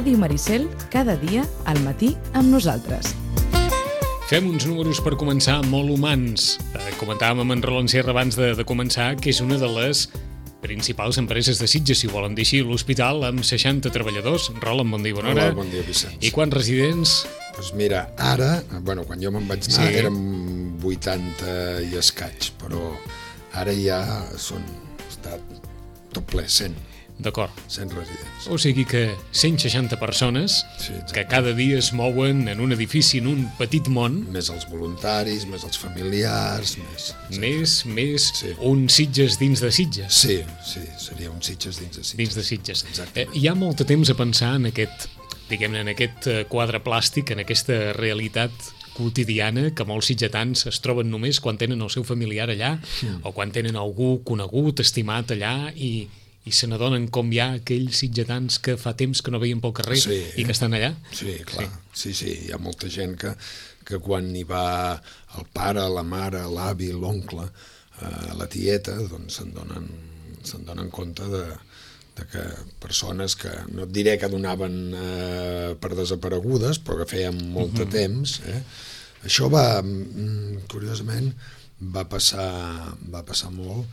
Ràdio Maricel, cada dia al matí amb nosaltres. Fem uns números per començar molt humans. Comentàvem amb en Roland Sierra abans de començar que és una de les principals empreses de Sitges, si ho volen dir així, l'hospital amb 60 treballadors. Roland, bon dia, bona hora. Hola, bon dia, Vicenç. I quants residents? Doncs mira, ara, quan jo me'n vaig anar érem 80 i escaig, però ara ja està tot ple, 100. D'acord. 100 residents. O sigui que 160 persones que cada dia es mouen en un edifici, en un petit món. Més els voluntaris, més els familiars, més un Sitges dins de Sitges. Sí, seria un Sitges dins de Sitges. Dins de Sitges. Exactament. Hi ha molt de temps a pensar en aquest, diguem-ne, en aquest quadre plàstic, en aquesta realitat quotidiana que molts sitgetans es troben només quan tenen el seu familiar allà o quan tenen algú conegut, estimat allà i se n'adonen com hi ha aquells sitgetans que fa temps que no veien pel carrer i que estan allà. Sí, clar. Sí, hi ha molta gent que quan hi va el pare, la mare, l'avi, l'oncle, la tieta, doncs se'n donen compte de que persones que, no et diré que donaven per desaparegudes, però que feien molt de temps. Això curiosament, va passar molt.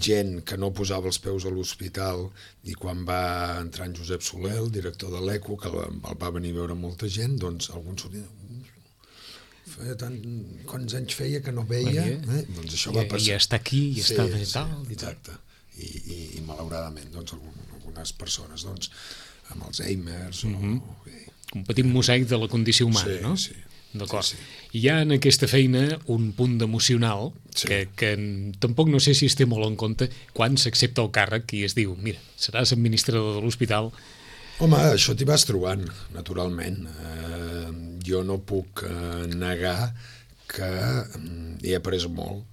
Gent que no posava els peus a l'hospital i quan va entrar en Josep Soler, el director de l'ECO, que el va venir a veure molta gent, doncs alguns quants anys feia que no veia, doncs això va passar. I està aquí, i està de tal. Exacte. I malauradament, doncs algunes persones, doncs, amb Alzheimer's un petit mosaic de la condició humana, no? Sí. D'acord. Hi ha en aquesta feina un punt emocional que tampoc no sé si es té molt en compte quan s'accepta el càrrec i es diu, mira, seràs administrador de l'hospital. Home, això t'hi vas trobant, naturalment. Jo no puc negar que he après molt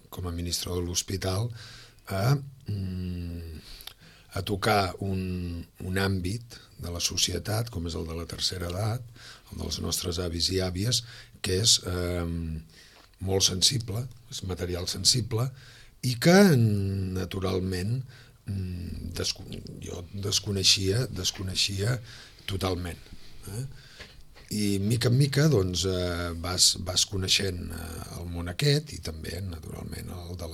com a administrador de l'hospital a tocar un àmbit de la societat, com és el de la tercera edat, el dels nostres avis i àvies, que és molt sensible, és material sensible, i que, naturalment, jo desconeixia totalment. I, mica en mica, doncs, vas coneixent el món aquest, i també, naturalment, el de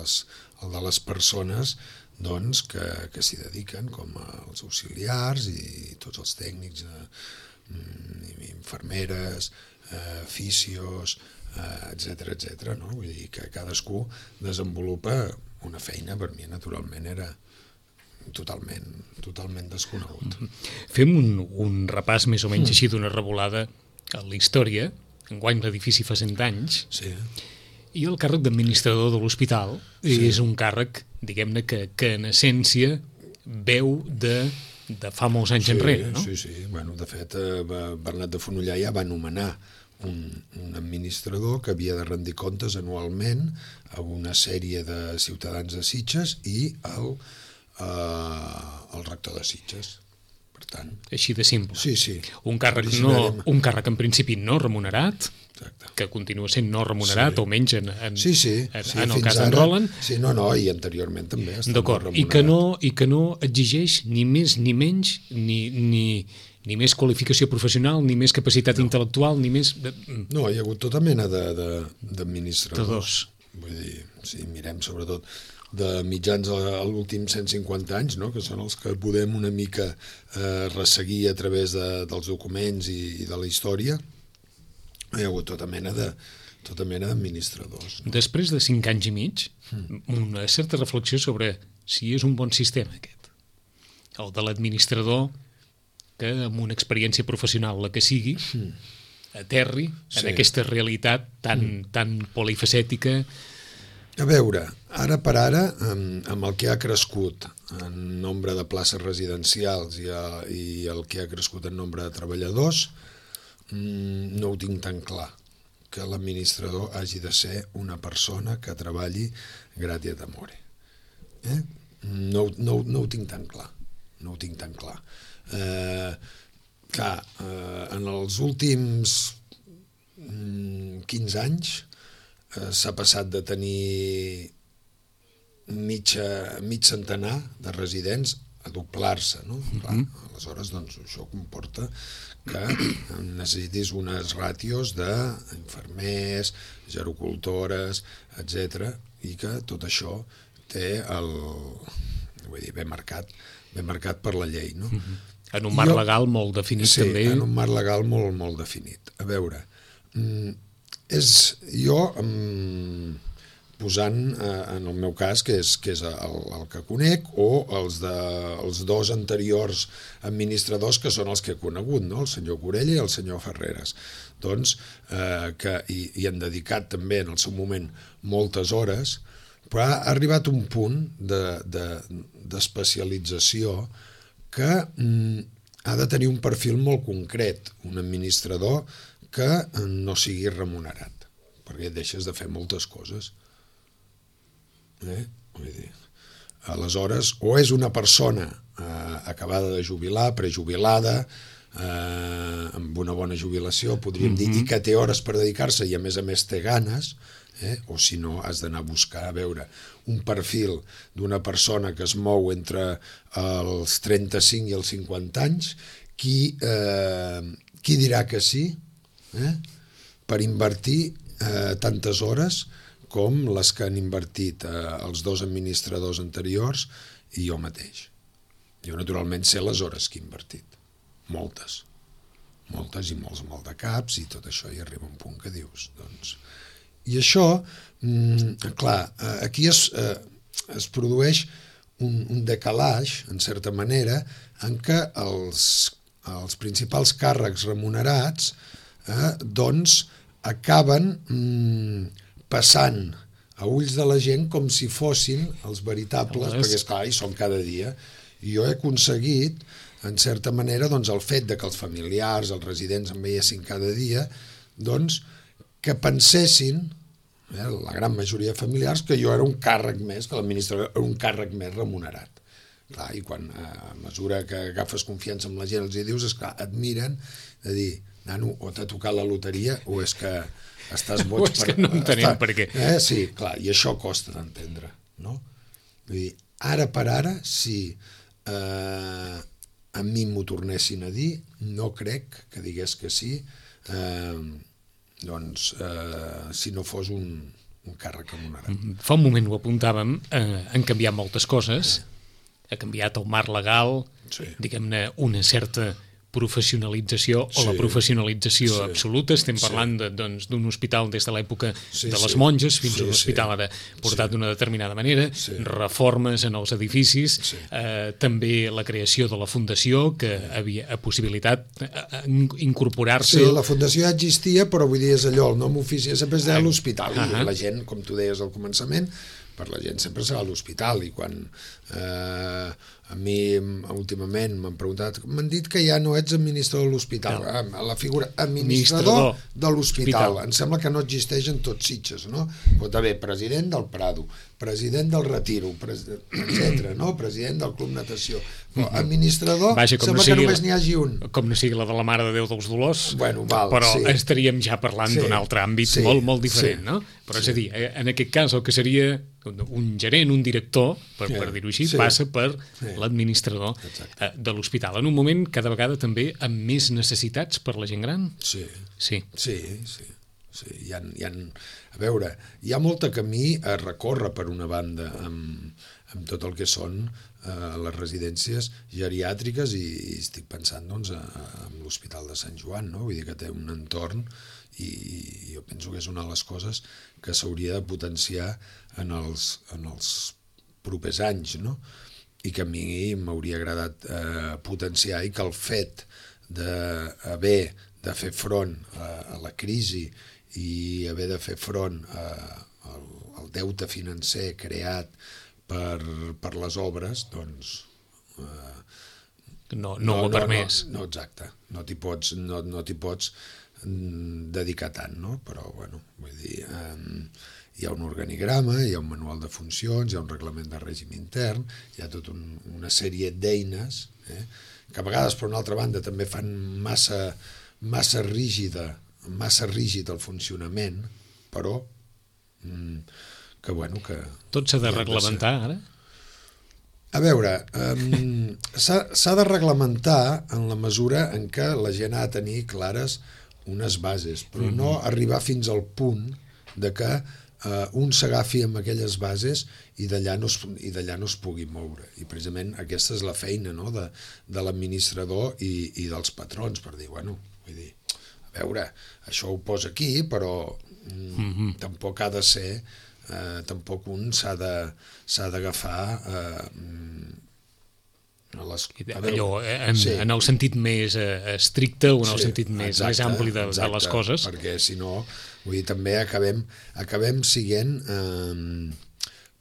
les persones doncs, que s'hi dediquen, com els auxiliars i tots els tècnics, infermeres, fisios, etcètera, no? Vull dir que cadascú desenvolupa una feina, per mi naturalment era totalment desconegut. Fem un repàs més o menys així d'una revolada a la història. Enguany l'edifici fa 100 anys. Sí. I el càrrec d'administrador de l'hospital és un càrrec, diguem-ne, que en essència veu de fa molts anys enrere, no? Sí. Bueno, de fet, Bernat de Fonollar ja va nomenar un administrador que havia de rendir comptes anualment a una sèrie de ciutadans de Sitges i el rector de Sitges. Per tant... Així de simple. Sí. Un càrrec en principi no remunerat, que continua sent no remunerat, almenys en el cas d'en Roland. Sí, i anteriorment també. D'acord, i que no exigeix ni més ni menys, ni més qualificació professional, ni més capacitat intel·lectual, ni més... No, hi ha hagut tota mena d'administradors. Vull dir, si mirem sobretot de mitjans a l'últims 150 anys, no? Que són els que podem una mica resseguir a través dels documents i de la història. Hi ha hagut tota mena d'administradors. No? Després de 5 anys i mig, una certa reflexió sobre si és un bon sistema aquest. El de l'administrador que amb una experiència professional, la que sigui, aterri en aquesta realitat tan polifacètica. A veure, ara per ara, amb el que ha crescut en nombre de places residencials i el que ha crescut en nombre de treballadors, no ho tinc tan clar, que l'administrador hagi de ser una persona que treballi gratia d'amore. No ho tinc tan clar. Clar, en els últims 15 anys s'ha passat de tenir mig centenar de residents a doblar-se, no? Clar, aleshores, doncs, això comporta que necessitis unes ràtios d'infermers, gerocultores, etc, i que tot això té vull dir, ben marcat per la llei, no? En un marc legal molt definit, també. Sí, en un marc legal molt, molt definit. A veure, jo posant en el meu cas, que és el que conec, o els dos anteriors administradors que són els que he conegut, no? El senyor Corella i el senyor Ferreres, doncs, que hi han dedicat també en el seu moment moltes hores, però ha arribat un punt d'especialització que ha de tenir un perfil molt concret, un administrador que no sigui remunerat, perquè deixes de fer moltes coses. Vull dir, aleshores, o és una persona acabada de jubilar, prejubilada, amb una bona jubilació, podríem dir, i que té hores per dedicar-se i a més té ganes, o si no has d'anar a buscar, a veure, un perfil d'una persona que es mou entre els 35 i els 50 anys, qui dirà que sí per invertir tantes hores com les que han invertit els dos administradors anteriors i jo mateix. Jo naturalment sé les hores que he invertit, moltes i molts maldecaps i tot això, i arriba un punt que dius, doncs... I això, clar, aquí es produeix un decalatge, en certa manera, en què els principals càrrecs remunerats doncs acaben passant a ulls de la gent com si fossin els veritables, perquè esclar, hi són cada dia. I jo he aconseguit, en certa manera, doncs el fet de que els familiars, els residents em veiessin cada dia, doncs que pensessin, la gran majoria de familiars, que jo era un càrrec més, que l'administrador era un càrrec més remunerat. Clar, i quan a mesura que agafes confiança amb la gent els hi dius, esclar, et miren de dir, nano, o t'ha tocat la loteria o és que estàs boig. O és que no entenem per què. Sí, clar, i això costa d'entendre, no? Vull dir, ara per ara, si a mi m'ho tornessin a dir, no crec que digués que sí, doncs, si no fos un càrrec remunerat. Fa un moment ho apuntàvem, han canviat moltes coses, ha canviat el marc legal, diguem-ne, una certa professionalització o la professionalització absoluta. Estem parlant d'un hospital des de l'època de les monges fins a un hospital ara portat d'una determinada manera, reformes en els edificis, també la creació de la fundació que havia possibilitat incorporar-se. Sí, la fundació ja existia, però vull dir, és allò, el nom oficial sempre es deia l'hospital, i la gent, com tu deies al començament, per la gent sempre serà l'hospital, i quan a mi últimament m'han preguntat, m'han dit que ja no ets administrador de l'hospital, la figura administrador de l'hospital, em sembla que no existeix en tots Sitges, no? Pot haver president del Prado, president del Retiro, etc., no? President del Club Natació, però administrador sembla que només n'hi hagi un. Com no sigui la de la Mare de Déu dels Dolors, però estaríem ja parlant d'un altre àmbit molt diferent, no? Però és a dir, en aquest cas el que seria un gerent, un director, per dir-ho així, passa per l'administrador de l'hospital. En un moment cada vegada també amb més necessitats per la gent gran? Sí. A veure, hi ha molt camí a recórrer per una banda amb tot el que són les residències geriàtriques i estic pensant doncs en l'Hospital de Sant Joan, no? Vull dir que té un entorn i jo penso que és una de les coses que s'hauria de potenciar en els propers anys, no? I que a mi m'hauria agradat potenciar, i que el fet d'haver de fer front a la crisi i haver de fer front al deute financer creat per les obres, doncs... No ho ha permès. No, exacte. No t'hi pots dedicar tant, no? Però, bueno, vull dir... Hi ha un organigrama, hi ha un manual de funcions, hi ha un reglament de règim intern, hi ha tota una sèrie d'eines que a vegades, per una altra banda, també fan massa rígid el funcionament, però que, bueno, que... Tot s'ha de reglamentar, ara? A veure, s'ha de reglamentar en la mesura en què la gent ha de tenir clares unes bases, però no arribar fins al punt de que un s'agafi amb aquelles bases i d'allà no es pugui moure. I precisament aquesta és la feina, no?, de l'administrador i dels patrons, per dir, bueno, vull dir, a veure, això ho posa aquí, però tampoc ha de ser, tampoc un s'ha d'agafar allò, en el sentit més estricte o en el sentit més ampli de les coses. Perquè si no, vull dir, també acabem sent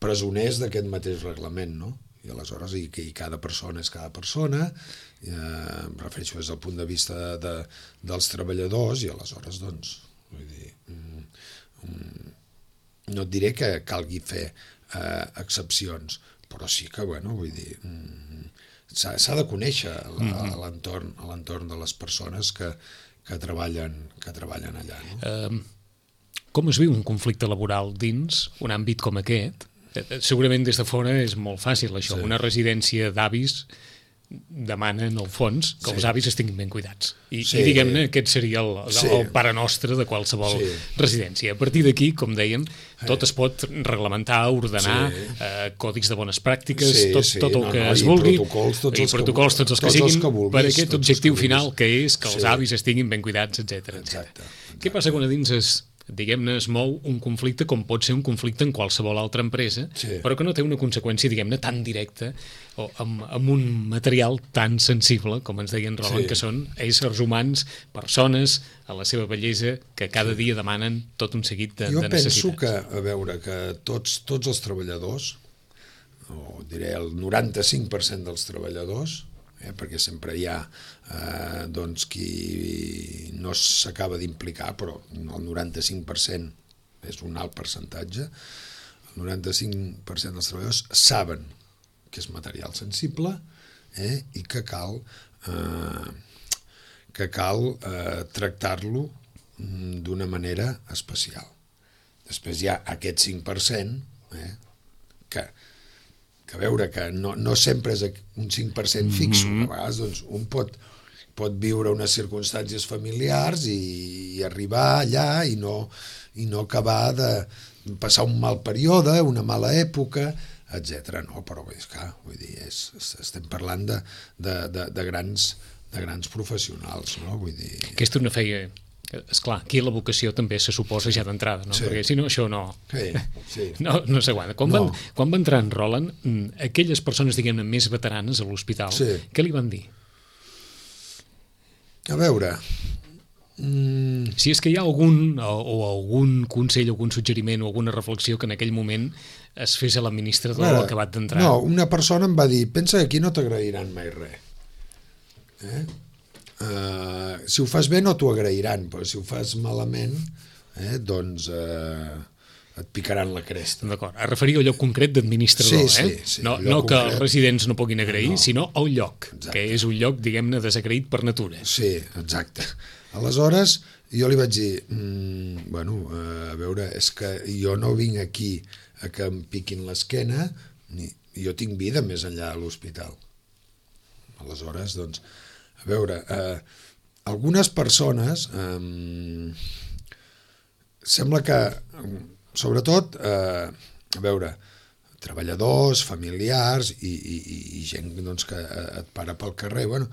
presoners d'aquest mateix reglament, no? I aleshores, i cada persona és cada persona, em refereixo des del punt de vista dels treballadors, i aleshores, doncs, vull dir, no et diré que calgui fer excepcions, però sí que, bueno, vull dir, s'ha de conèixer l'entorn de les persones que treballen allà, no? Com es viu un conflicte laboral dins un àmbit com aquest? Segurament des de fora és molt fàcil això. Una residència d'avis demana, en el fons, que els avis estiguin ben cuidats. I diguem-ne, aquest seria el pare nostre de qualsevol residència. A partir d'aquí, com dèiem, tot es pot reglamentar, ordenar, còdics de bones pràctiques, tot el que es vulgui, i protocols tots els que siguin, per aquest objectiu final, que és que els avis estiguin ben cuidats, etc. Què passa quan a dins diguem-ne, es mou un conflicte com pot ser un conflicte en qualsevol altra empresa, però que no té una conseqüència, diguem-ne, tan directa o amb un material tan sensible, com ens deien Roland, que són éssers humans, persones, a la seva bellesa, que cada dia demanen tot un seguit de necessitats. Jo penso que, a veure, que tots els treballadors, o diré el 95% dels treballadors, perquè sempre hi ha doncs qui no s'acaba d'implicar, però el 95% és un alt percentatge, el 95% dels treballadors saben que és material sensible i que cal tractar-lo d'una manera especial. Després hi ha aquest 5% que a veure, que no sempre és un 5% fixo, a vegades doncs, un pot viure unes circumstàncies familiars i arribar allà i no acabar de passar un mal període, una mala època, etc. No, però és clar, vull dir, estem parlant de grans professionals, no? Vull dir... Aquesta és una feia... Esclar, aquí la vocació també se suposa ja d'entrada, no? Perquè si no, això no no s'aguanta. Quan va entrar en Roland, aquelles persones, diguem-ne, més veteranes a l'hospital, què li van dir? A veure... Si és que hi ha algun consell, algun suggeriment o alguna reflexió que en aquell moment es fes a l'administrador acabat d'entrar. No, una persona em va dir, pensa que aquí no t'agrairan mai res. Si ho fas bé no t'ho agrairan, però si ho fas malament doncs et picaran la cresta. D'acord, a referir al lloc concret d'administrador, no que els residents no puguin agrair, sinó al lloc, que és un lloc, diguem-ne, desagraït per natura. Sí, exacte. Aleshores, jo li vaig dir, bueno, a veure, és que jo no vinc aquí a que em piquin l'esquena, jo tinc vida més enllà de l'hospital. Aleshores, doncs, a veure, algunes persones sembla que, sobretot, a veure, treballadors, familiars i gent doncs, que et para pel carrer, bueno,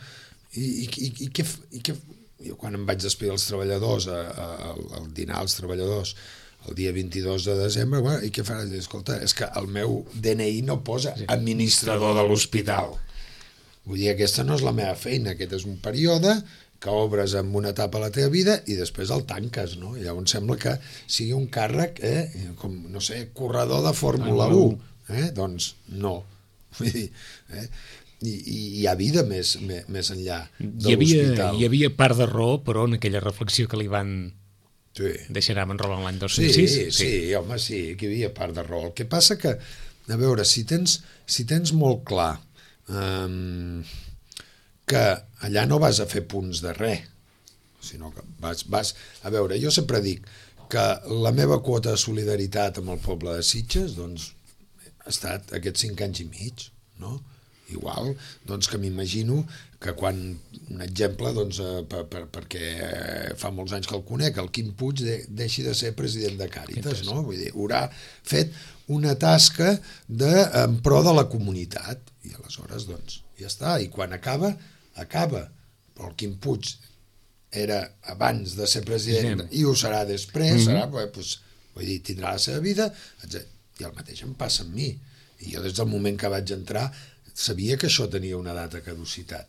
i jo quan em vaig despedir dels treballadors, al dinar als treballadors, el dia 22 de desembre, bueno, i què faràs? Escolta, és que el meu DNI no posa administrador de l'hospital. Vull dir, aquesta no és la meva feina, aquest és un període que obres amb una etapa a la teva vida i després el tanques, no? Llavors sembla que sigui un càrrec, com, no sé, corredor de Fórmula 1, doncs no. Vull dir, i hi ha vida més enllà de l'hospital. Hi havia part de raó, però en aquella reflexió que li van deixar amb en Roland l'any 2006. Sí, home, sí, que hi havia part de raó. El que passa que, a veure, si tens molt clar que allà no vas a fer punts de res, sinó que vas... A veure, jo sempre dic que la meva quota de solidaritat amb el poble de Sitges doncs, ha estat aquests 5 anys i mig. no? Igual, doncs, que m'imagino que quan, un exemple, doncs, perquè fa molts anys que el conec, el Quim Puig deixi de ser president de Càritas, no? Vull dir, haurà fet una tasca en pro de la comunitat, i aleshores, doncs, ja està, i quan acaba, però el Quim Puig era abans de ser president i ho serà després, serà, doncs, vull dir, tindrà la seva vida, etc. I el mateix em passa amb mi, i jo des del moment que vaig entrar sabia que això tenia una data de caducitat.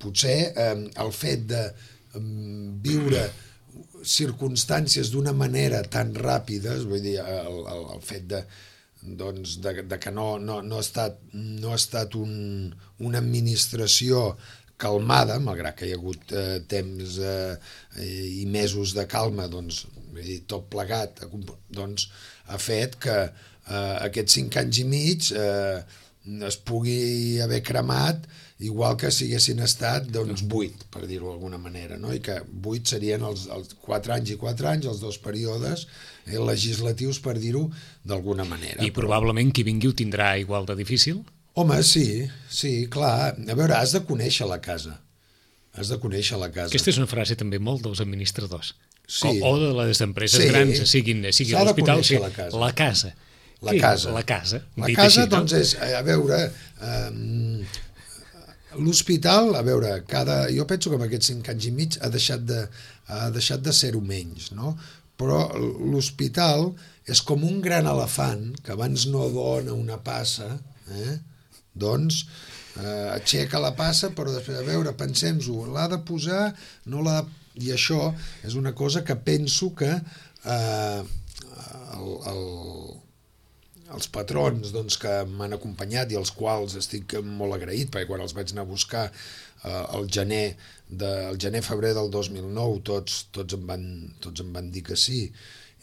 Potser el fet de viure circumstàncies d'una manera tan ràpida, vull dir, el fet de que no ha estat una administració calmada, malgrat que hi ha hagut temps i mesos de calma, doncs, vull dir, tot plegat, doncs, ha fet que aquests 5 anys i mig es pugui haver cremat igual que si haguessin estat 8, per dir-ho d'alguna manera, no? I que 8 serien els 4 anys i 4 anys, els 2 períodes legislatius, per dir-ho d'alguna manera. I probablement qui vingui ho tindrà igual de difícil? Home, sí, clar. A veure, has de conèixer la casa. Aquesta és una frase també molt dels administradors. Sí. O de les empreses grans, sigui l'hospital, la casa. La casa. La casa, doncs, és, a veure, l'hospital, a veure, jo penso que en aquests 5 anys i mig ha deixat de ser-ho menys, no? Però l'hospital és com un gran elefant que abans no dona una passa, doncs aixeca la passa, però després, a veure, pensem-ho, l'ha de posar, no l'ha de... I això és una cosa que penso que els patrons, doncs, que m'han acompanyat i als quals estic molt agraït, perquè quan els vaig anar a buscar el gener-febrer del 2009 tots em van dir que sí,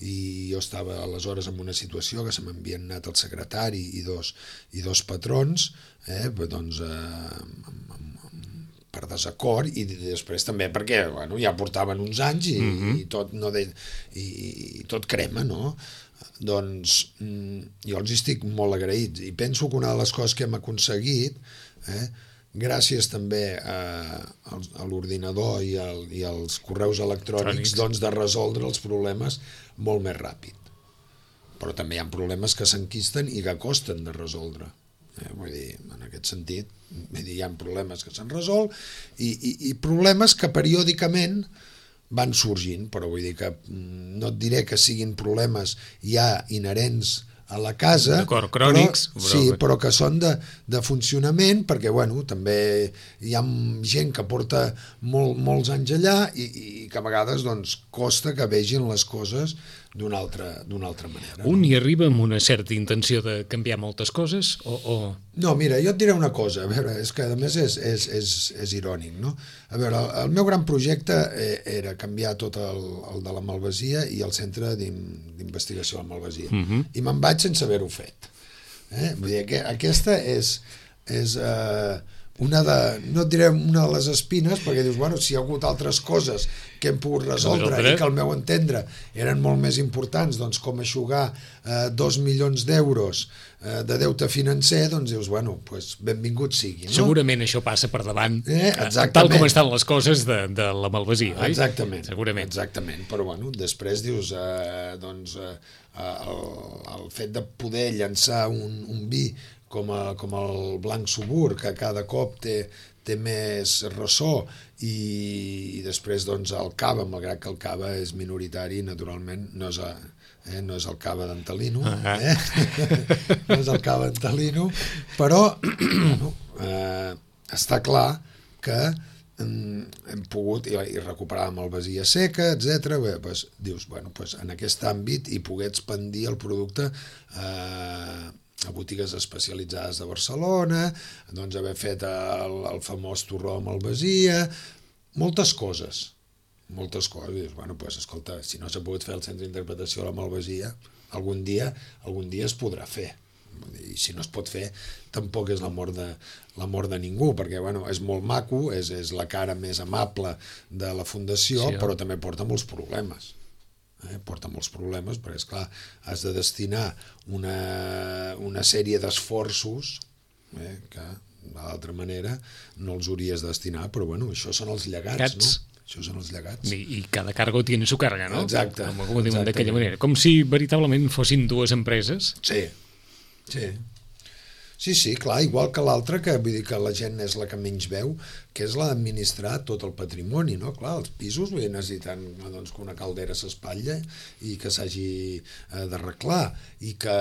i jo estava aleshores en una situació que se m'havien anat el secretari i dos patrons, doncs per desacord, i després també perquè ja portaven uns anys i tot crema, no? Doncs jo els estic molt agraïts i penso que una de les coses que hem aconseguit, gràcies també a l'ordinador i als correus electrònics, doncs, de resoldre els problemes molt més ràpid. Però també hi ha problemes que s'enquisten i que costen de resoldre. Vull dir, en aquest sentit, hi ha problemes que s'han resolt i problemes que periòdicament van sorgint, però vull dir que no et diré que siguin problemes ja inherents a la casa, crònics, però que són de funcionament, perquè també hi ha gent que porta molts anys allà i que a vegades costa que vegin les coses d'una altra manera. Un hi arriba amb una certa intenció de canviar moltes coses o... No, mira, jo et diré una cosa, a veure, és que a més és irònic, no? A veure, el meu gran projecte era canviar tot el de la Malvasia i el centre d'investigació de la Malvasia. I me'n vaig sense haver-ho fet. Vull dir que aquesta és no et diré una de les espines, perquè dius, si hi ha hagut altres coses que hem pogut resoldre i que al meu entendre eren molt més importants, doncs com eixugar 2 milions d'euros de deute financer, doncs dius, benvingut sigui. No? Segurament això passa per davant, tal com estan les coses de la Malvasia, oi? Exactament. Segurament. Exactament, però després dius, el fet de poder llançar un vi com el Blanc Subur, que cada cop té més ressò, i després el cava, malgrat que el cava és minoritari, naturalment no és el cava d'Antalino, no és el cava d'Antalino, però està clar que hem pogut i recuperar la Malvasia seca, etc. Dius, en aquest àmbit i poder expandir el producte a botigues especialitzades de Barcelona, doncs haver fet el famós torró de Malvasia, moltes coses. Dius, escolta, si no s'ha pogut fer el centre d'interpretació de la Malvasia, algun dia es podrà fer. I si no es pot fer, tampoc és la mort de ningú, perquè és molt maco, és la cara més amable de la fundació, però també porta molts problemes. porta molts problemes, perquè, esclar, has de destinar una sèrie d'esforços que, d'altra manera, no els hauries de destinar, però, bueno, això són els llegats, no? Això són els llegats. I cada cargo tiene su carga, no? Exacte. Com ho diuen d'aquella manera. Com si veritablement fossin dues empreses. Sí, sí. Sí, clar, igual que l'altra, que vull dir que la gent és la que menys veu, que és la d'administrar tot el patrimoni, no? Clar, els pisos necessiten doncs, que una caldera s'espatlla i que s'hagi d'arreglar, i que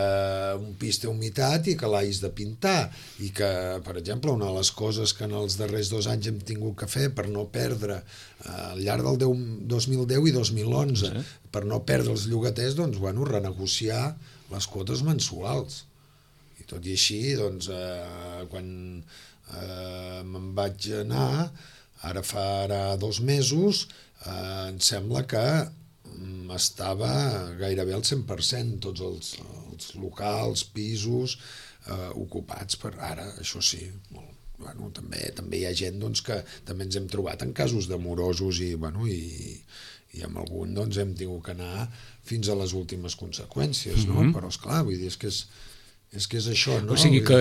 un pis té humitat i que l'hagis de pintar, i que, per exemple, una de les coses que en els darrers 2 anys hem tingut que fer per no perdre al llarg del 2010 i 2011, per no perdre els llogaters, doncs, bueno, renegociar les quotes mensuals. I tot i així, doncs, quan me'n vaig anar, ara farà 2 mesos, em sembla que estava gairebé al 100%, tots els locals, pisos ocupats per ara, això sí, bueno, també hi ha gent doncs, que també ens hem trobat en casos de morosos i amb algun doncs, hem tingut que anar fins a les últimes conseqüències, no? Però esclar, vull dir, és que és això, no? O sigui que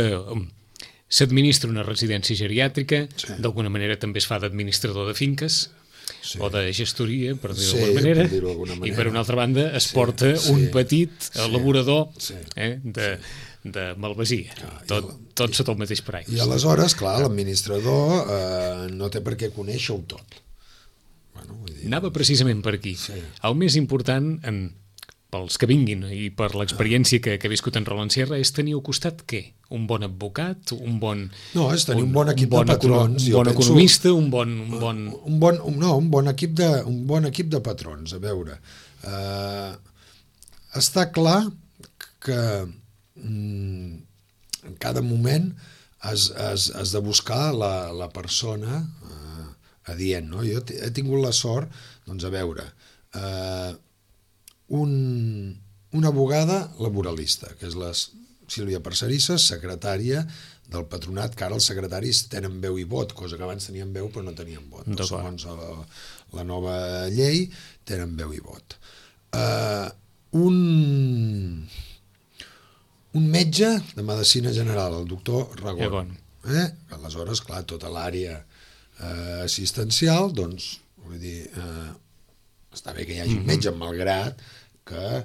s'administra una residència geriàtrica, d'alguna manera també es fa d'administrador de finques, o de gestoria, per dir-ho d'alguna manera, i per una altra banda es porta un petit elaborador de malvasia, tot sota el mateix paraigua. I aleshores, clar, l'administrador no té per què conèixer-ho tot. Anava precisament per aquí. El més important pels que vinguin i per l'experiència que ha viscut en Roland Sierra és tenir al costat què? Un bon advocat, un bon... No, és tenir un bon equip de patrons. Un bon economista, un bon equip de patrons. A veure, està clar que en cada moment has de buscar la persona adient, no? Jo he tingut la sort, doncs a veure, una abogada laboralista, que és la Sílvia Parcerisses, secretària del patronat, que ara els secretaris tenen veu i vot, cosa que abans tenien veu però no tenien vot. Segons la nova llei, tenen veu i vot. Un metge de medicina general, el doctor Ragón. Aleshores, clar, tota l'àrea assistencial, doncs, vull dir, està bé que hi hagi un metge, malgrat que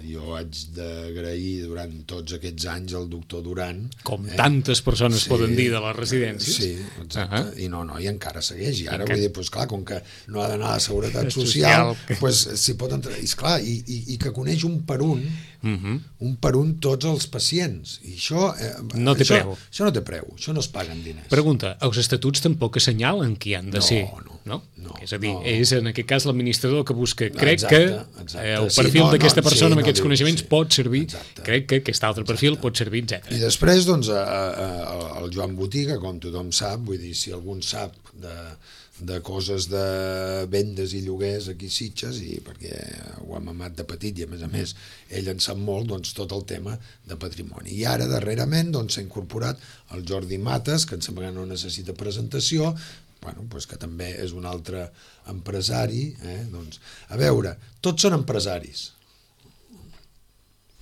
jo haig d'agrair durant tots aquests anys al doctor Duran. Com tantes persones poden dir de les residències. Sí, exacte. I i encara segueix. I ara, vull dir, doncs clar, com que no ha d'anar a la Seguretat Social, doncs s'hi pot entrar. I esclar, i que coneix un per un tots els pacients. I això... No té preu. Això no té preu, això no es paguen diners. Pregunta, els estatuts tampoc assenyalen qui han de ser. No. És a dir, és en aquest cas l'administrador que busca. Crec que el perfil d'aquesta persona amb aquests coneixements pot servir, crec que aquest altre perfil pot servir, etc. I després, doncs, el Joan Botiga, com tothom sap, vull dir, si algun sap de coses de vendes i lloguers aquí a Sitges, i perquè ho ha mamat de petit i a més ell en sap molt, doncs tot el tema de patrimoni. I ara darrerament s'ha incorporat el Jordi Mates, que em sembla que no necessita presentació, que també és un altre empresari. A veure, tots són empresaris.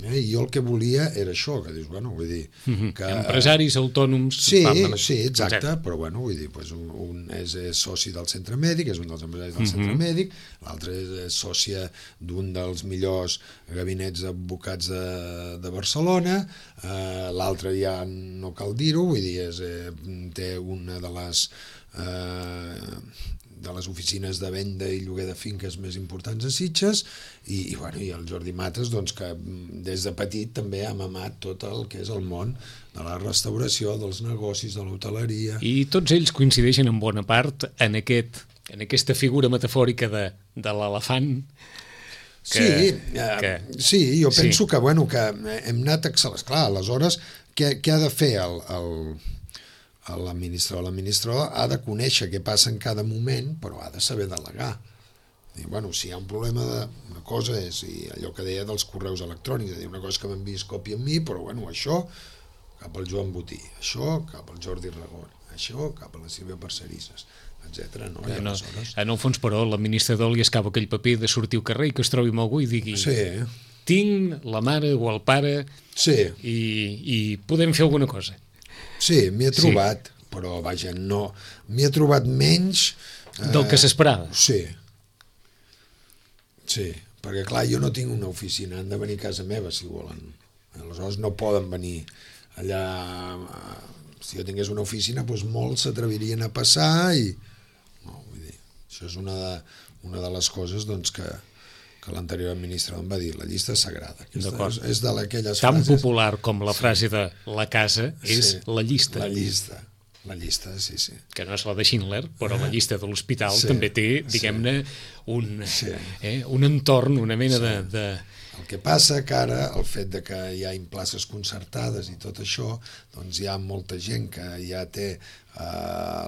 I jo el que volia era això, que dius, vull dir... Empresaris autònoms... Sí, exacte, però vull dir, un és soci del centre mèdic, és un dels empresaris del centre mèdic, l'altre és sòcia d'un dels millors gabinets d'advocats de Barcelona, l'altre ja no cal dir-ho, vull dir, té una de les oficines de venda i lloguer de finques més importants a Sitges, i el Jordi Mates, que des de petit també ha mamat tot el que és el món de la restauració, dels negocis, de l'hoteleria... I tots ells coincideixen en bona part en aquesta figura metafòrica de l'elefant. Sí, jo penso que hem anat excel·lents. Clar, aleshores, què ha de fer l'administrador ha de conèixer què passa en cada moment, però ha de saber delegar. Si hi ha un problema una cosa és allò que deia dels correus electrònics, una cosa que m'envies còpia amb mi, però això cap al Joan Botí, això cap al Jordi Ragón, això cap a les ciberparcerisses, etc. No? En el fons, però, l'administrador li escapa aquell paper de sortir al carrer i que es trobi amb algú i digui tinc la mare o el pare i podem fer alguna cosa. Sí, m'hi he trobat, però vaja, no, m'hi he trobat menys del que s'esperava. Sí, perquè clar, jo no tinc una oficina, han de venir a casa meva si volen, aleshores no poden venir allà. Si jo tingués una oficina, doncs molts s'atrevirien a passar i no, vull dir, això és una de les coses doncs, que l'anterior administrador em va dir, la llista és sagrada. És d'aquelles tan frases... popular com la frase de la casa és la llista. La llista, sí. Que no és la de Schindler, però la llista de l'hospital també té, diguem-ne, un entorn, una mena de... El que passa que ara, el fet de que hi ha places concertades i tot això, doncs hi ha molta gent que ja té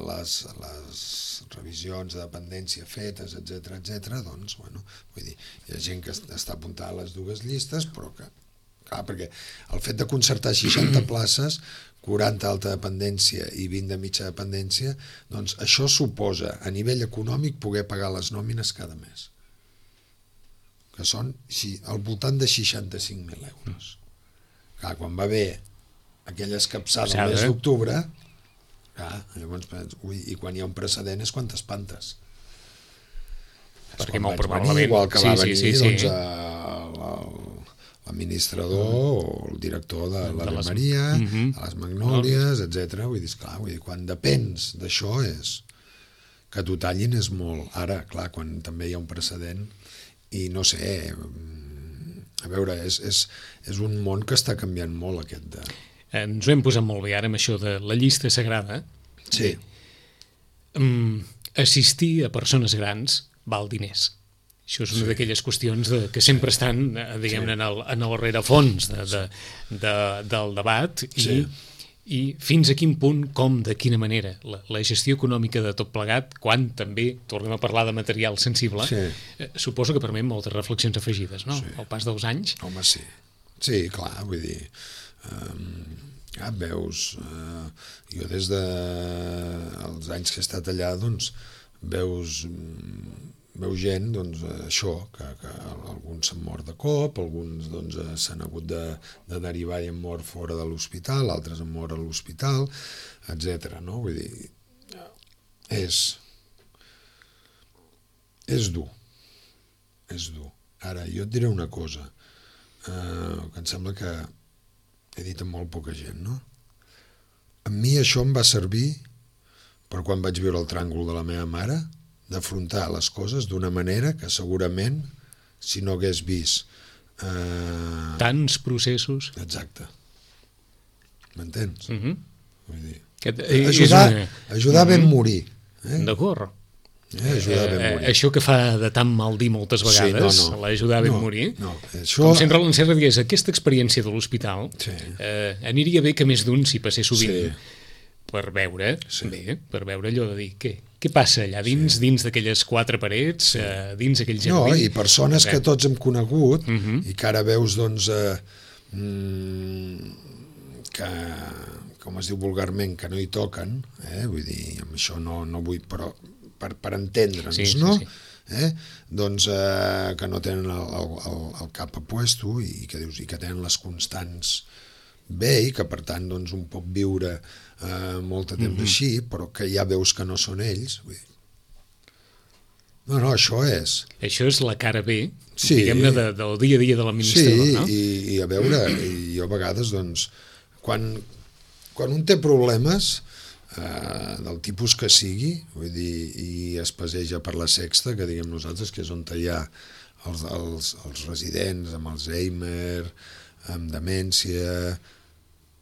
les revisions de dependència fetes, etc. Doncs, bueno, vull dir, hi ha gent que està apuntada a les dues llistes, però que, clar, perquè el fet de concertar 60 places, 40 alta dependència i 20 de mitja dependència, doncs això suposa, a nivell econòmic, poder pagar les nòmines cada mes, que són al voltant de 65.000 euros. Clar, quan va haver aquella escapçada al mes d'octubre, llavors, i quan hi ha un precedent és quan t'espantes. Perquè molt probablement... Igual que va venir doncs, l'administrador o el director de l'Ave Maria, a les Magnòlies, etc. Vull dir, clar, quan depens d'això és que t'ho tallin és molt. Ara, clar, quan també hi ha un precedent i no sé, a veure, és un món que està canviant molt aquest de... Ens ho hem posat molt bé ara amb això de la llista sagrada. Sí. Assistir a persones grans val diners. Això és una d'aquelles qüestions que sempre estan, diguem-ne, en el rerefons del debat i fins a quin punt, com, de quina manera, la gestió econòmica de tot plegat, quan també tornem a parlar de material sensible, suposo que permet moltes reflexions afegides, no? Al pas dels anys. Home, sí. Sí, clar, vull dir... veus... Jo des dels anys que he estat allà, doncs, veus gent, doncs, això, que alguns s'han mort de cop, alguns doncs, s'han hagut de derivar i han mort fora de l'hospital, altres han mort a l'hospital, etc. No? Vull dir, és dur. És dur. Ara, jo et diré una cosa, que em sembla que he dit amb molt poca gent, no? A mi això em va servir per quan vaig viure el tràngol de la meva mare, d'afrontar les coses d'una manera que segurament, si no hagués vist... Tants processos... Exacte. M'entens? Vull dir... Ajudar ben morir. D'acord. Ajudar ben morir. Això que fa de tan mal dir moltes vegades, l'ajudar ben morir, això... com sempre l'Encerra digués, aquesta experiència de l'hospital aniria bé que més d'un s'hi passés sovint per veure allò de dir què passa allà dins d'aquelles quatre parets, dins aquell jardí. No, i persones que tots hem conegut i que ara veus, doncs, que, com es diu vulgarment, que no hi toquen, vull dir, amb això no vull, però per entendre'ns, no? Doncs que no tenen el cap a puesto i que dius, i que tenen les constants bé i que per tant doncs un pot viure molt de temps així, però que ja veus que no són ells. Vull dir. No, això és... Això és la cara B, diguem-ne, del dia a dia de l'administrador, no? Sí, i a veure, jo a vegades, doncs, quan un té problemes del tipus que sigui, vull dir, i es passeja per la Sexta, que diguem nosaltres, que és on hi ha els residents amb Alzheimer, amb demència...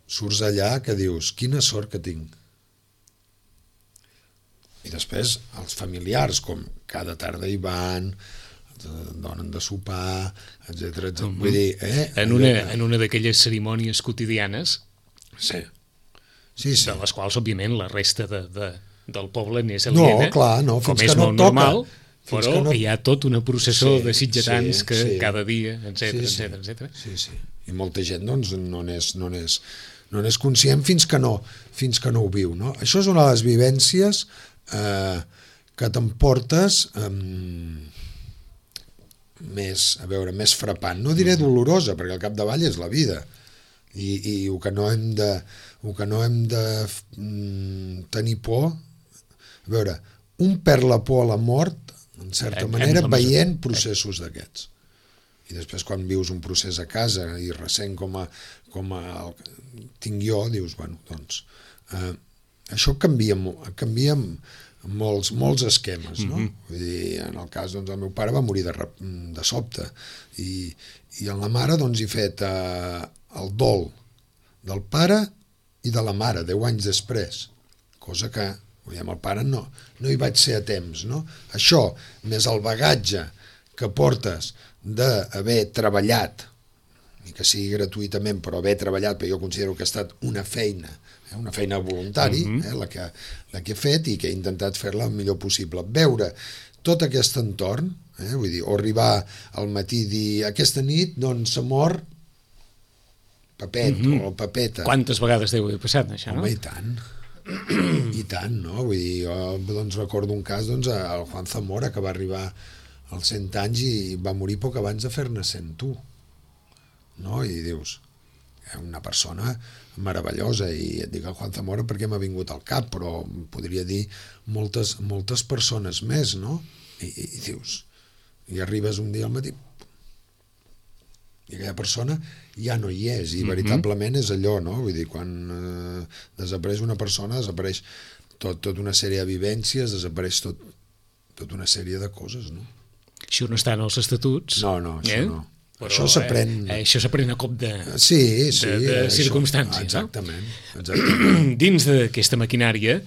Surts allà que dius, quina sort que tinc. I després els familiars, com cada tarda hi van, donen de sopar, etc. Vull dir, en una d'aquelles cerimònies quotidianes, sí. De les quals, òbviament, la resta del poble n'és aliena, com és molt normal, però hi ha tot una processó de sitgetans que cada dia, etc. Sí, i molta gent doncs no n'és No n'és conscient fins que no ho viu, no? Això és una de les vivències que t'emportes més frapant. No diré dolorosa, perquè al capdavall és la vida. I el que no hem de tenir por... A veure, un perd la por a la mort, en certa manera, veient processos d'aquests. I després quan vius un procés a casa i ressent com el tinc jo, dius, bueno, doncs això canvia molts esquemes, no? Vull dir, en el cas, doncs, el meu pare va morir de sobte i en la mare, doncs, he fet el dol del pare i de la mare 10 anys després, cosa que amb el pare no hi vaig ser a temps, no? Això, més el bagatge que portes d'haver treballat, ni que sigui gratuïtament, però haver treballat, perquè jo considero que ha estat una feina voluntari, la que he fet i que he intentat fer-la el millor possible. Veure tot aquest entorn, vull dir, o arribar al matí i dir, aquesta nit, doncs, s'ha mort Pepet o Pepeta. Quantes vegades deu haver passat, això, no? Home, i tant, no? Vull dir, jo doncs, recordo un cas, doncs, el Juan Zamora, que va arribar als 100 anys i va morir poc abans de fer-ne 101, no? I dius, una persona meravellosa, i et dic el Juan Zamora perquè m'ha vingut al cap, però podria dir moltes persones més, no? I dius, i arribes un dia al matí i aquella persona ja no hi és, i veritablement és allò, no? Vull dir, quan desapareix una persona, desapareix tota una sèrie de vivències, desapareix tota una sèrie de coses, no? Això no està en els estatuts. No, això no. Però, això s'aprèn... Això s'aprèn a cop de circumstàncies, exactament, no? Exactament. Dins d'aquesta maquinària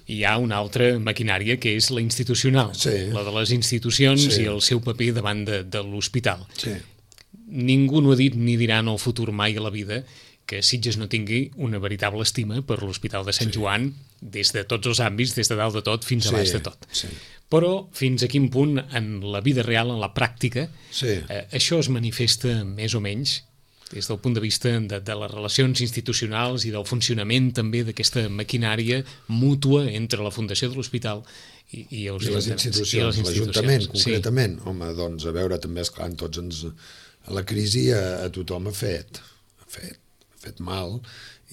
hi ha una altra maquinària que és la institucional, la de les institucions i el seu paper davant de l'hospital. Ningú no ha dit ni dirà en el futur mai a la vida que Sitges no tingui una veritable estima per l'Hospital de Sant Joan, des de tots els àmbits, des de dalt de tot fins a baix de tot. Però fins a quin punt en la vida real, en la pràctica, això es manifesta més o menys des del punt de vista de les relacions institucionals i del funcionament també d'aquesta maquinària mútua entre la Fundació de l'Hospital i les institucions, l'Ajuntament, concretament. Home, doncs, a veure, també, esclar, tots ens... La crisi a tothom ha fet mal,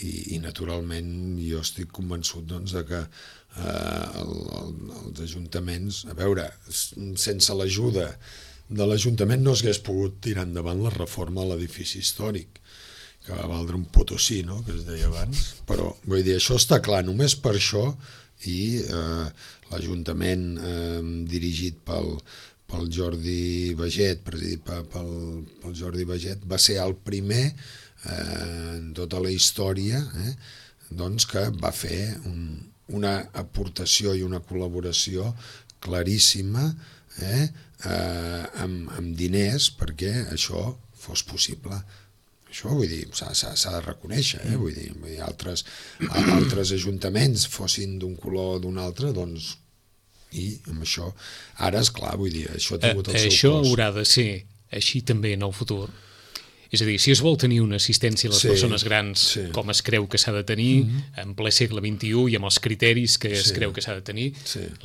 i naturalment jo estic convençut, doncs, de que els ajuntaments, a veure, sense l'ajuda de l'Ajuntament no s'hagués pogut tirar endavant la reforma a l'edifici històric, que va valdre un potosí, no?, que es deia abans, però vull dir, això està clar, només per això, i l'Ajuntament dirigit pel Jordi Baget, presidit pel Jordi Baget, va ser el primer en tota la història doncs, que va fer una aportació i una col·laboració claríssima amb diners perquè això fos possible. Això, vull dir, s'ha de reconèixer, vull dir, altres ajuntaments fossin d'un color o d'un altre, doncs, i amb això, ara, esclar, vull dir, això ha tingut el seu cost. Això haurà de ser així també en el futur. És a dir, si es vol tenir una assistència a les persones grans com es creu que s'ha de tenir, en ple segle XXI i amb els criteris que es creu que s'ha de tenir,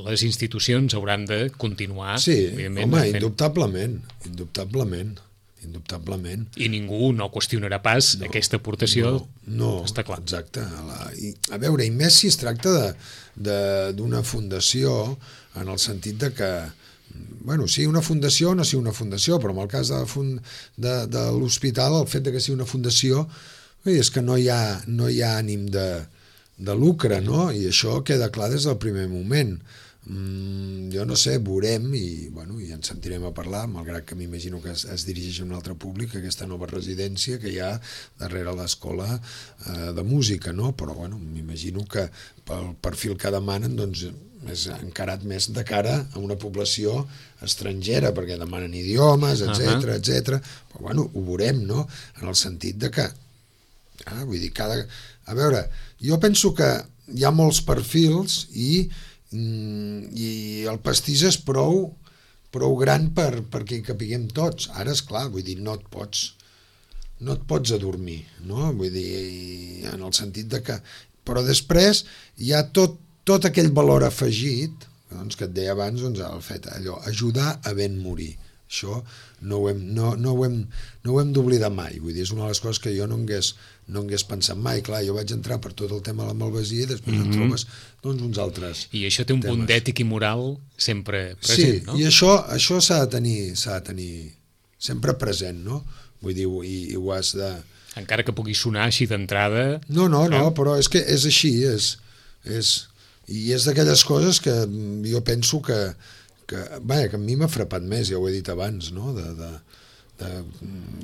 les institucions hauran de continuar. Sí, home, indubtablement. I ningú no qüestionarà pas aquesta aportació, està clar. Exacte. A veure, i més si es tracta d'una fundació, en el sentit de que, bueno, sigui una fundació o no sigui una fundació, però en el cas de l'hospital, el fet que sigui una fundació és que no hi ha ànim de lucre, no? I això queda clar des del primer moment. Jo no sé, veurem i en sentirem a parlar, malgrat que m'imagino que es dirigeix a un altre públic, aquesta nova residència que hi ha darrere l'escola de música, no? Però m'imagino que pel perfil que demanen doncs és encarat més de cara a una població estrangera, perquè demanen idiomes, etc. Però ho veurem, no? En el sentit de que vull dir, a veure, jo penso que hi ha molts perfils i el pastís és prou gran perquè hi capiguem tots. Ara, esclar, vull dir, no et pots no et pots adormir, no? Vull dir, en el sentit de que... Però després hi ha tot aquell valor afegit, doncs, que et deia abans, doncs, el fet allò, ajudar a ben morir. Això no ho hem d'oblidar mai. Vull dir, és una de les coses que jo no hagués pensat mai. Clar, jo vaig entrar per tot el tema de la malvasia i després en trobes doncs, uns altres I això té un punt temes. d'ètic i moral sempre present, no? Sí, i això s'ha de tenir sempre present, no? Vull dir, i ho has de... Encara que pugui sonar així d'entrada... No, però és que és així, i és d'aquelles coses que jo penso que a mi m'ha frapat més, ja ho he dit abans, no?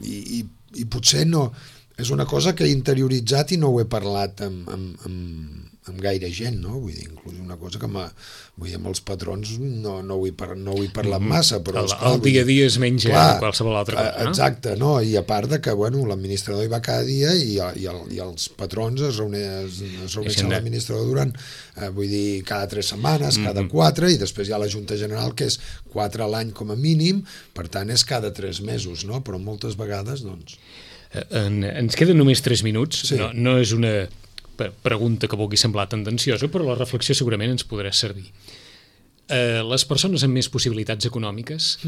I potser no... És una cosa que he interioritzat i no ho he parlat amb gaire gent, no? Vull dir, inclús una cosa que amb els patrons no ho he parlat massa, però... El dia a dia es menja qualsevol altra cosa, no? Exacte, no? I a part de que, l'administrador hi va cada dia i els patrons es reuneixen amb l'administrador durant, vull dir, cada 3 setmanes, cada 4, i després hi ha la Junta General, que és 4 a l'any com a mínim, per tant és cada 3 mesos, no? Però moltes vegades, doncs... Ens queden només 3 minuts, sí. No és una pregunta que vulgui semblar tendenciosa, però la reflexió segurament ens podrà servir. Les persones amb més possibilitats econòmiques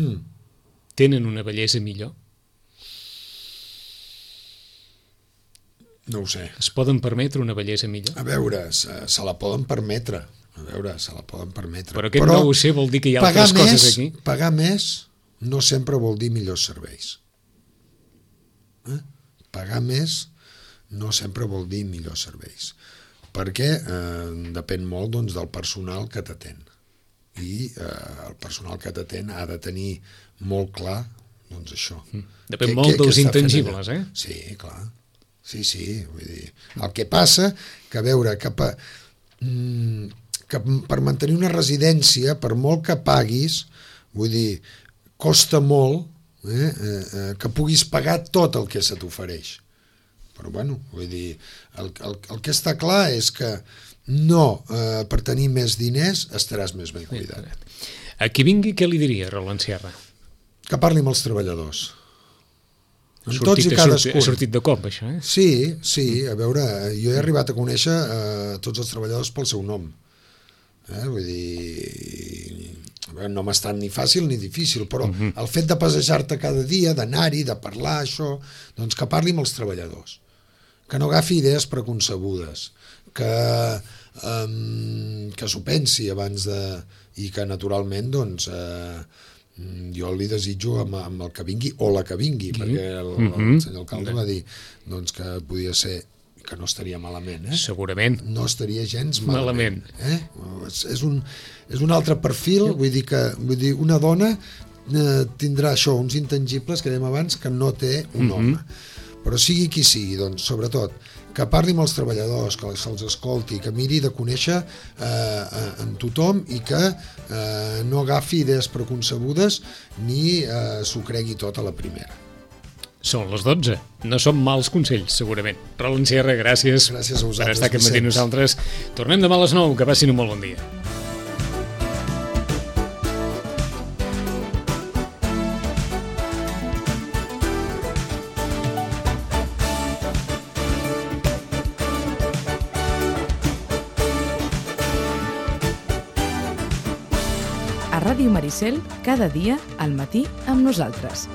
tenen una bellesa millor? No ho sé. Es poden permetre una bellesa millor? A veure, se la poden permetre. Però aquest no ho sé vol dir que hi ha altres coses aquí? Pagar més no sempre vol dir millors serveis. Pagar més no sempre vol dir millors serveis, perquè depèn molt, doncs, del personal que t'atén, i el personal que t'atén ha de tenir molt clar, doncs, això. Depèn molt dels intangibles, eh? Sí, clar. Sí, vull dir... El que passa, que a veure, que per mantenir una residència, per molt que paguis, vull dir, costa molt que puguis pagar tot el que se t'ofereix. Però, vull dir, el que està clar és que no, per tenir més diners estaràs més ben cuidat. A qui vingui, què li diria, Roland Sierra? Que parli amb els treballadors. Ha sortit de cop, això, eh? Sí, a veure, jo he arribat a conèixer tots els treballadors pel seu nom. Vull dir... no m'ha estat ni fàcil ni difícil, però el fet de passejar-te cada dia, d'anar-hi, de parlar, això, doncs que parli amb els treballadors, que no agafi idees preconcebudes, que s'ho pensi abans de... i que naturalment, doncs, jo li desitjo amb el que vingui o la que vingui, perquè el senyor alcalde va dir doncs, que podia ser, que no estaria malament, Segurament. No estaria gens malament. És un altre perfil, vull dir, una dona tindrà això, uns intangibles que dèiem abans que no té un home. Però sigui qui sigui, doncs, sobretot, que parli amb els treballadors, que se'ls escolti, que miri de conèixer en tothom i que no agafi idees preconcebudes ni s'ho cregui tot a la primera. Són les 12. No són mals consells, segurament. Roland Sierra, gràcies a vosaltres, per estar aquest matí amb nosaltres. Tornem demà a les 9. Que passin un molt bon dia. A Ràdio Maricel, cada dia al matí amb nosaltres.